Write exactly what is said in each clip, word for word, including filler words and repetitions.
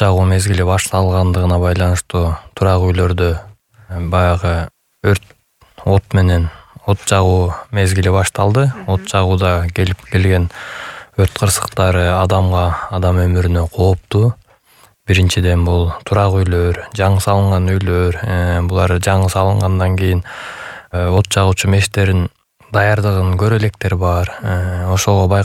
жагуу мезгили башталгандыгына байланыштуу турак үйлөрдө баягы өрт от менен от жагуу мезгили башталды. От жагууда келип келген өрт кырсыктары адамга, адам өмүрүнө кооптуу. Биринчиден бул турак үйлөр, жаңы салынган үйлөр, булар жаңы салынгандан кийин от жагуучу мештерин даярдыгын көрө электер бар. Ошого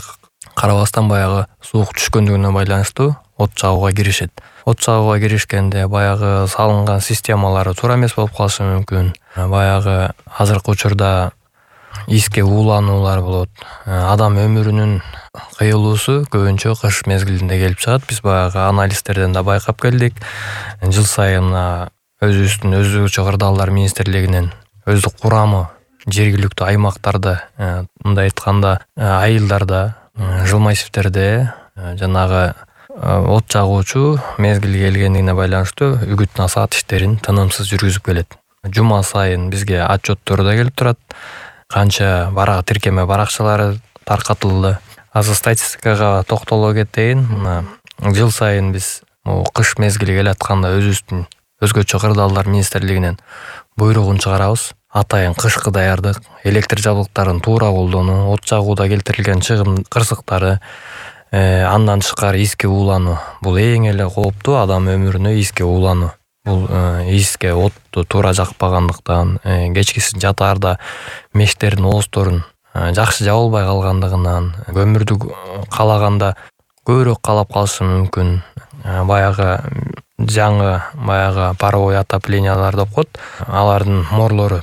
карабастан баягы суук түшкөндүгүнө байланыштуу от жагууга киришет. От жагууга киришкенде баягы салынган системалары туура эмес болуп калышы мүмкүн. Баягы азыркы учурда иске уулануулар болот. Адам өмүрүнүн кыйылуусу көбүнчө кыш мезгилинде келип чыгат. Биз баягы анализдерден да байкап келдик. Жыл сайын өзүбүздүн өзгөчө кырдаалдар министрлигинин өздүк курамы жергиликтүү аймактарда, мындай айтканда айылдарда, жилмайсивтерде жанагы от жагуучу мезгили келгендигине байланыштуу үгүт насаат иштерин тынымсыз жүргүзүп келет. Жума сайын бизге отчеттор да келип турат. Канча барак тиркеме баракчалары таркатылды. Азыр статистикага токтоло кетейин. Мына жыл сайын биз кыш мезгили келатканда өзүбүздүн өзгөчө кырдаалдар министрлигинен буйругун чыгарабыз. Атайын кышкы даярдык, электр жабдыктарын туура колдонуу, от жагууда келтирилген чыгым кырсыктары, андан тышкары иске уулануу. Бул эң эле кооптуу адам өмүрүнө иске уулануу. Бул иске отту туура жакпагандыктан, кечкисин жатаарда мештердин оозторун жакшы жабылбай калгандыгынан, көмүрдү калаганда көбүрөөк калап калышы мүмкүн. Баягы жаңы баягы паровой отоплениялар деп коет. Алардын морлору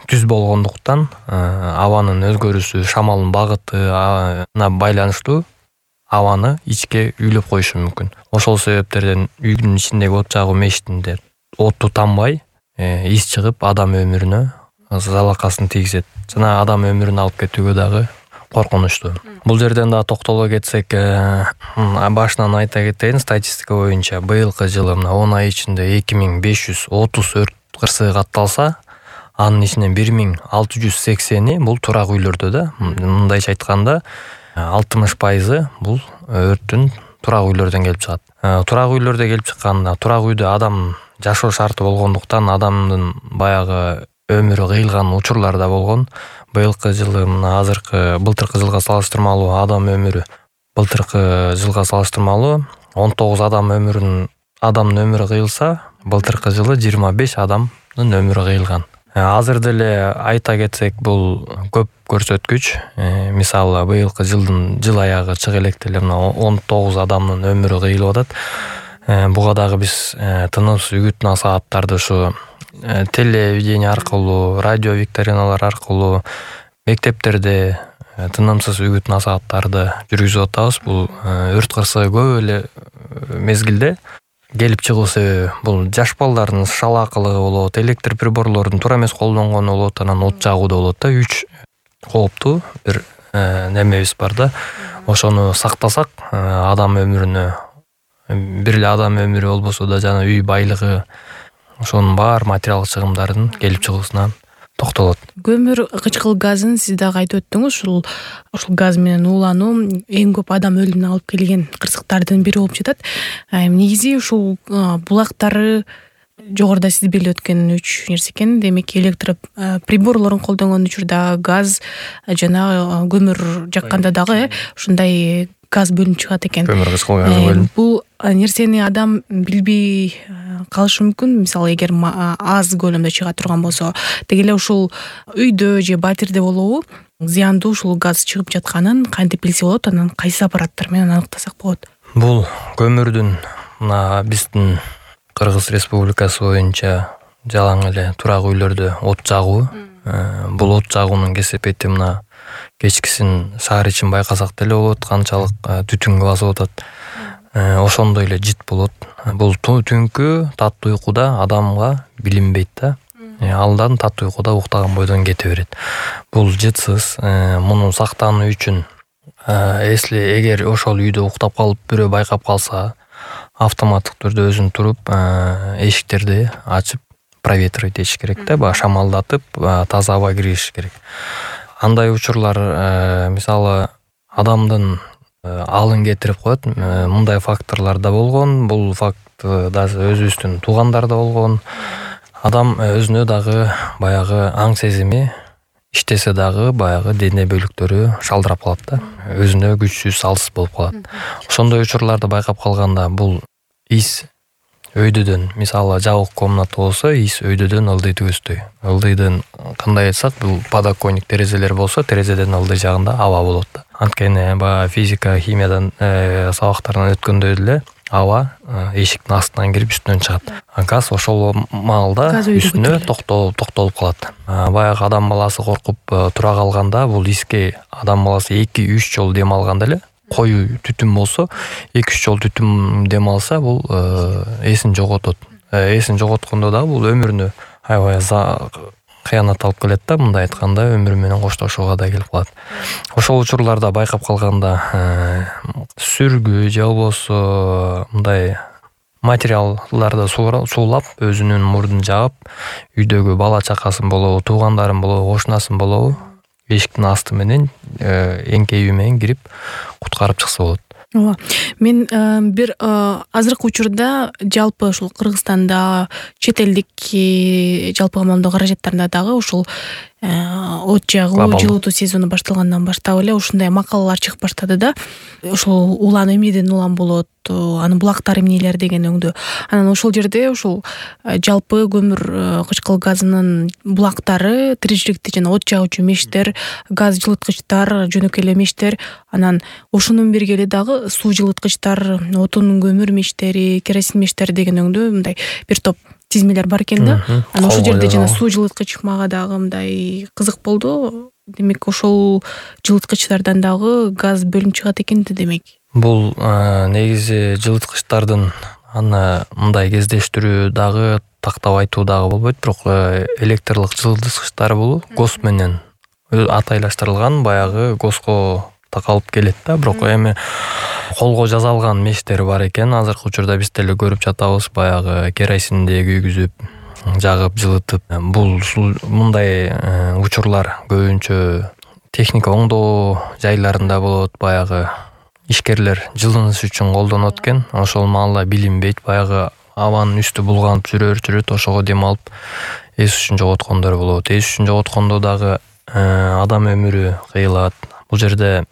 түз болгондуктан абанын өзгөрүшү, шамалдын багытына байланыштуу абаны ичке үйлөп коюшу мүмкүн. Ошол себептерден үйдүн ичиндеги от жагуу мештинде отту тамбай, ис чыгып адам өмүрүнө залакасын тийгизет. Жана адам өмүрүн алып кетүүгө дагы коркунучтуу. Бул жерден да токтоло кетсек, башынан айта кетейин, статистика боюнча быйылкы жылы мына он ай ичинде эки миң беш жүз отуз өрт кырсыгы катталса, анын ичинен бир миң алты жүз сексени бул турак үйлөрдө да. Мындайча айтканда алтымыш пайызы бул өрттүн турак үйлөрдөн келип чыгат. Турак үйлөрдө келип чыкканда, турак үйдө адам жашоо шарты болгондуктан адамдын баягы өмүрү кыйылган учурлар да болгон. Быйылкы жылы мына азыркы былтыркы жылга салыштырмалуу адам өмүрү былтыркы жылга салыштырмалуу он тогуз адам өмүрүн адамдын өмүрү кыйылса, былтыркы жылы жыйырма беш адамдын өмүрү кыйылган. Азыр деле айта кетсек, бул көп көрсөткүч. Мисалы быйылкы жылдын жыл аягы чыга электе эле мына он тогуз адамдын өмүрү кыйылып атат. Буга дагы биз тынымсыз үгүт насааттарды ушу телевидение аркылуу, радио викториналар аркылуу, мектептерде тынымсыз үгүт насааттарды жүргүзүп атабыз. Бул өрт кырсыгы көп эле мезгилде келип чыгуу себеби бул жаш балдардын шалаакылыгы болот, электр приборлорун туура эмес колдонгону болот, анан от жагууда болот да. Үч кооптуу бир немебиз бар да. Ошону сактасак, адам өмүрүнө бир эле адам өмүрү болбосо да жана үй байлыгы, ошонун баар материалдык чыгымдардын келип чыгуусуна токтолот. Көмүр кычкыл газын сиз дагы айтып өттүңүз. Ушул ушул газ менен уулануу эң көп адам өлүмүнө алып келген кырсыктардын бири болуп жатат. Негизи ушул булактары жогоруда сиз белгилеп өткөн үч нерсе экен. Демек электр приборлорун колдонгон учурда газ жана көмүр жакканда дагы ушундай газ бөлүнүп чыгат экен. Көмүр кычкыл газы бөлүнүп. Бул нерсени адам билбей калышы мүмкүн. Мисалы, эгер аз көлөмдө чыга турган болсо, деги эле ушул үйдө же батирде болобу зыяндуу ушул газ чыгып жатканын кантип билсе болот, анан кайсы аппараттар менен аныктасак болот? Бул көмүрдүн мына биздин Кыргыз Республикасы боюнча жалаң эле турак үйлөрдө от жагуу. Бул от жагуунун кесепети мына кечкисин шаар ичин байкасак деле болот, канчалык түтүнгө басып атат. Ошондой эле жит болот. Бул түнкү таттуу уйкуда адамга билинбейт да. Алдан таттуу уйкуда уктаган бойдон кете берет. Бул жытсыз. Муну сактануу үчүн эсли эгер ошол үйдө уктап калып бирөө байкап калса, автоматтык түрдө өзүн туруп эшиктерди ачып проветривать этиш керек да, баягы шамалдатып, таза аба киргизиш керек. Андай учурлар, мисалы, адамдын алын кетирип коет. Мындай факторлор да болгон. Бул факт даже өзүбүздүн туугандарда болгон. Адам өзүнө дагы баягы аң сезими иштесе дагы баягы дене бөлүктөрү шалдырап калат да. Өзүнө күчсүз, алсыз болуп калат. Ошондой учурларды байкап калганда бул из өйдөдөн, мисалы жабык комната болсо, из өйдөдөн ылдый түгөсдөй. Ылдыйдын кандай айтсак, бул подоконник терезелер болсо, терезеден ылдый жагында аба болот да. Анткени баягы физика, химиядан сабактардан өткөндөй эле аба эшиктин астынан кирип үстүнөн чыгат. Газ ошол маалда үстүнө токтолуп токтолуп калат. Баягы адам баласы коркуп тура калганда бул изге адам баласы эки үч жолу дем алганда эле, коюу түтүн болсо эки үч жолу түтүн дем алса, бул эсин жоготот. Эсин жоготкондо да бул өмүрүнө аябай кыянат алып келет да, мындай айтканда өмүрү менен коштошууга да келип калат. Ошол учурларда байкап калганда сүргү же болбосо мындай материалдарды суулап, өзүнүн мурдун жаап, үйдөгү бала чакасын болобу, туугандарын болобу, кошунасын болобу, эшиктин асты менен эңкейүү менен кирип куткарып чыкса болот. Ооба. Мен бир азыркы учурда жалпы ушул Кыргызстанда чет элдик жалпы командоо каражаттарында дагы ушул от жагуу, жылытуу сезону башталгандан баштап эле ушундай макалалар чыгып баштады да. Ушул улан эмнеден улам болот, анын булактар эмнелер деген өңдө. Анан ошол жерде ушул жалпы көмүр кычкыл газынын булактары, тиричиликти жана от жагуучу мештер, газ жылыткычтар, жөнөкөй эле мештер, анан ошонун бирге эле дагы суу жылыткычтар, отун көмүр мештери, керосин мештери деген өңдө мындай бир топ тизмелер бар экен да. Анан ошол жерде жана суу жылыткыч мага дагы мындай кызык болду. Демек ошол жылыткычтардан дагы газ бөлүнүп чыгат экен да демек. Бул негизи жылыткычтардын аны мындай кездештирүү дагы тактап айтуу дагы болбойт, бирок электрлик жылыткычтар бул гос менен атайлаштырылган, баягы госко такалып келет да, бирок эми колго жасалган мештер бар экен. Азыркы учурда биз деле көрүп жатабыз, баягы керосинди күйгүзүп, жагып, жылытып. Бул мындай учурлар көбүнчө техника оңдоо жайларында болот, баягы ишкерлер жылыныш үчүн колдонот экен. Ошол маалда билинбейт, баягы абанын үстү булганып жүрөр, жүрөт, ошого дем алып эс үчүн жоготкондор болот. Эс үчүн жоготкондо дагы адам өмүрү кыйылат. Бул жерде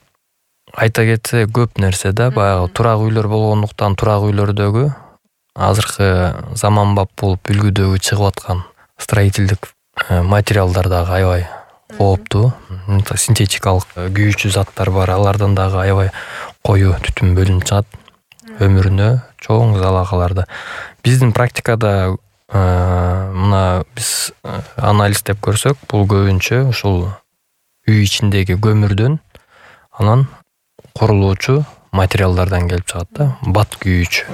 айта кетсе көп нерсе да, баягы турак үйлөр болгондуктан турак үйлөрдөгү азыркы заманбап болуп үлгүдөгү чыгып аткан строительдик материалдар дагы аябай кооптуу. Синтетикалык күйүүчү заттар бар, алардан дагы аябай коюу түтүн бөлүнүп чыгат. Өмүрүнө чоң залалаларды. Биздин практикада мына биз анализдеп көрсөк, бул көбүнчө ушул үй ичиндеги көмүрдөн, анан курулуучу материалдардан келип чыгат да, бат күйүүчү.